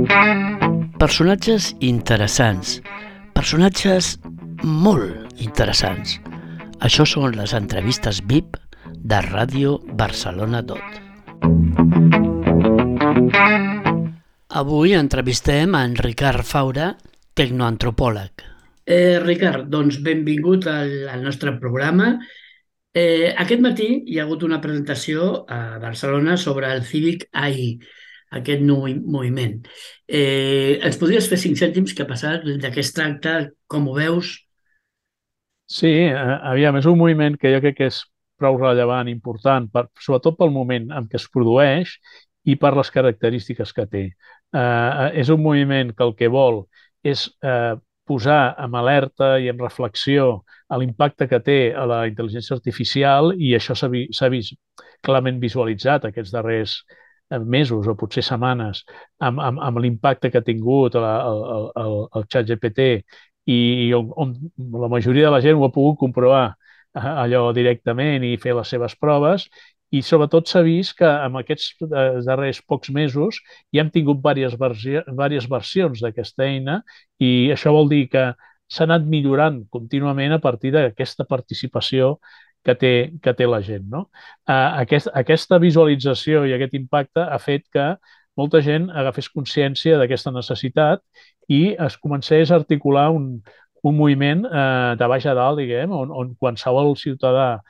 Personatges interessants, personatges molt interessants. Això són les entrevistes VIP de Ràdio Barcelona Dot. Avui entrevistem a en Ricard Faura, tecnoantropòleg. Ricard, doncs benvingut al nostre programa. Aquest matí hi ha hagut una presentació a Barcelona sobre el Cívic AI, aquest nou moviment. Ens podries fer 5 cèntims què ha passat, de què es tracta, com ho veus? Sí, aviam, és un moviment que jo crec que és prou rellevant, important, sobretot pel moment en què es produeix i per les característiques que té. És un moviment que el que vol és posar en alerta i en reflexió a l'impacte que té a la intel·ligència artificial, i això s'ha vist clarament visualitzat aquests darrers mesos o potser setmanes amb l'impacte que ha tingut el ChatGPT, i on la majoria de la gent ho ha pogut comprovar allò directament i fer les seves proves. I sobretot s'ha vist que en aquests darrers pocs mesos ja hem tingut diverses versions d'aquesta eina, i això vol dir que s'ha anat millorant contínuament a partir d'aquesta participació que té la gent, no? Aquesta visualització i aquest impacte ha fet que molta gent agafés consciència d'aquesta necessitat i es comencés a articular un moviment de baix a dalt, diguem, on qualsevol ciutadà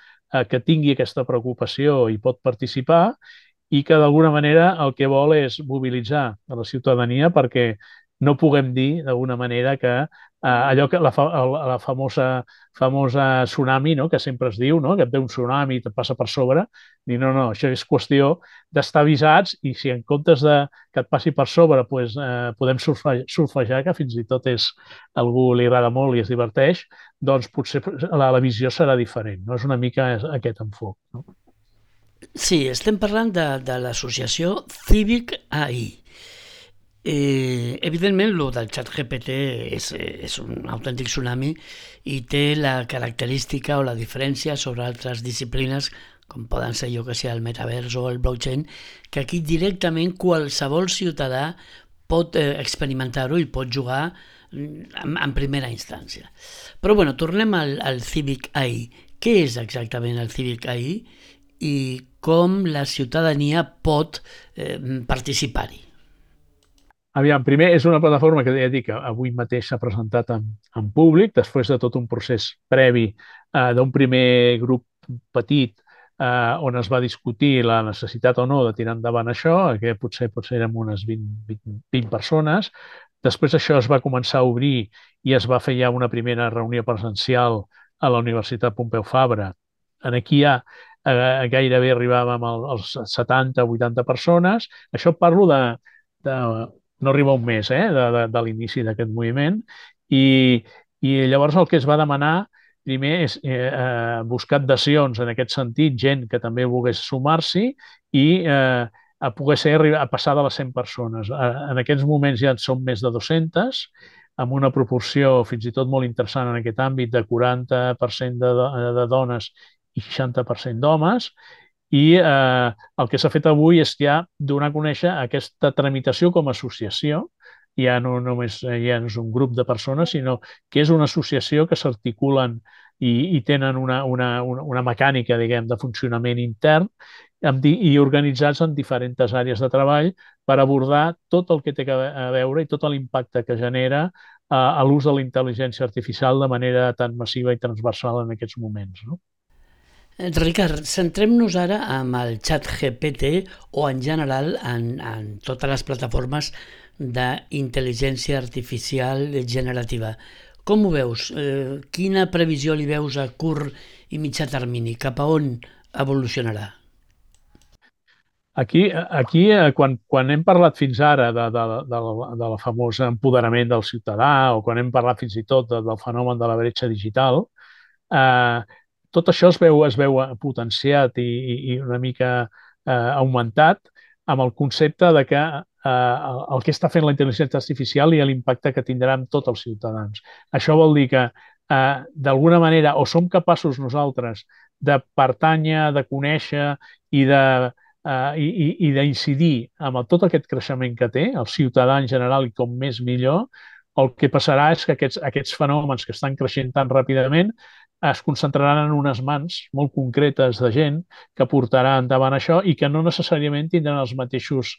que tingui aquesta preocupació hi pot participar, i que d'alguna manera el que vol és mobilitzar a la ciutadania perquè no puguem dir d'alguna manera que allò que la famosa tsunami, no?, que sempre es diu, no?, que et ve un tsunami i et passa per sobre, dir no, això és qüestió d'estar avisats, i si en comptes de que et passi per sobre podem surfejar, que fins i tot a algú li agrada molt i es diverteix, doncs potser la visió serà diferent, no? És una mica aquest enfoc, no? Sí, estem parlant de l'associació Cívic AI. Evidentment, el del xat GPT és un autèntic tsunami i té la característica o la diferència sobre altres disciplines, com poden ser, jo que sé, el metavers o el blockchain, que aquí directament qualsevol ciutadà pot experimentar-ho i pot jugar en primera instància. Però bueno, tornem al Cívic AI. Què és exactament el Cívic AI i com la ciutadania pot participar-hi? Aviam, primer, és una plataforma que ja dic que avui mateix s'ha presentat en públic, després de tot un procés previ d'un primer grup petit on es va discutir la necessitat o no de tirar endavant això, que potser érem unes 20 persones. Després això es va començar a obrir i es va fer ja una primera reunió presencial a la Universitat Pompeu Fabra. Aquí ja gairebé arribàvem als 70-80 persones. Això parlo de no arriba un mes de l'inici d'aquest moviment, i llavors el que es va demanar primer és buscar adhesions en aquest sentit, gent que també volgués sumar-s'hi, i a poder ser a passar de les 100 persones. En aquests moments ja en són més de 200, amb una proporció fins i tot molt interessant en aquest àmbit de 40% de dones i 60% d'homes. I el que s'ha fet avui és ja donar a conèixer aquesta tramitació com a associació. Ja no només ja no és un grup de persones, sinó que és una associació que s'articulen i tenen una mecànica, diguem, de funcionament intern, i organitzats en diferents àrees de treball per abordar tot el que té a veure i tot l'impacte que genera a l'ús de la intel·ligència artificial de manera tan massiva i transversal en aquests moments, no? Ricard, centrem-nos ara amb el xat GPT o en general en totes les plataformes d'intel·ligència artificial generativa. Com ho veus? Quina previsió li veus a curt i mitjà termini? Cap a on evolucionarà? Aquí quan hem parlat fins ara de la famosa empoderament del ciutadà, o quan hem parlat fins i tot del fenomen de la bretxa digital, eh, tot això es veu potenciat i una mica augmentat amb el concepte de que el que està fent la intel·ligència artificial i l'impacte que tindrà en tots els ciutadans. Això vol dir que d'alguna manera o som capaços nosaltres de pertànyer, de conèixer i de i d'incidir amb tot aquest creixement que té, el ciutadà en general i com més millor, el que passarà és que aquests fenòmens que estan creixent tan ràpidament es concentraran en unes mans molt concretes de gent que portarà endavant això i que no necessàriament tindran els mateixos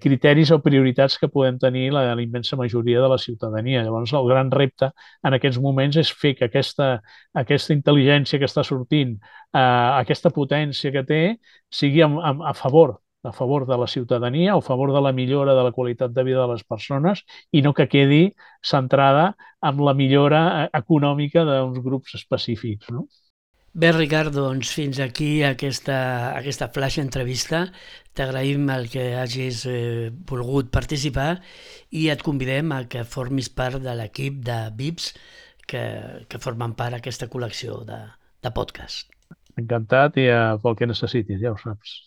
criteris o prioritats que podem tenir la immensa majoria de la ciutadania. Llavors, el gran repte en aquests moments és fer que aquesta intel·ligència que està sortint, aquesta potència que té, sigui a favor de la ciutadania o a favor de la millora de la qualitat de vida de les persones i no que quedi centrada en la millora econòmica d'uns grups específics, no? Bé, Ricard, doncs fins aquí aquesta flash entrevista. T'agraïm el que hagis volgut participar i et convidem a que formis part de l'equip de VIPs que formen part d'aquesta col·lecció de podcast. Encantat i pel que necessitis, ja ho saps.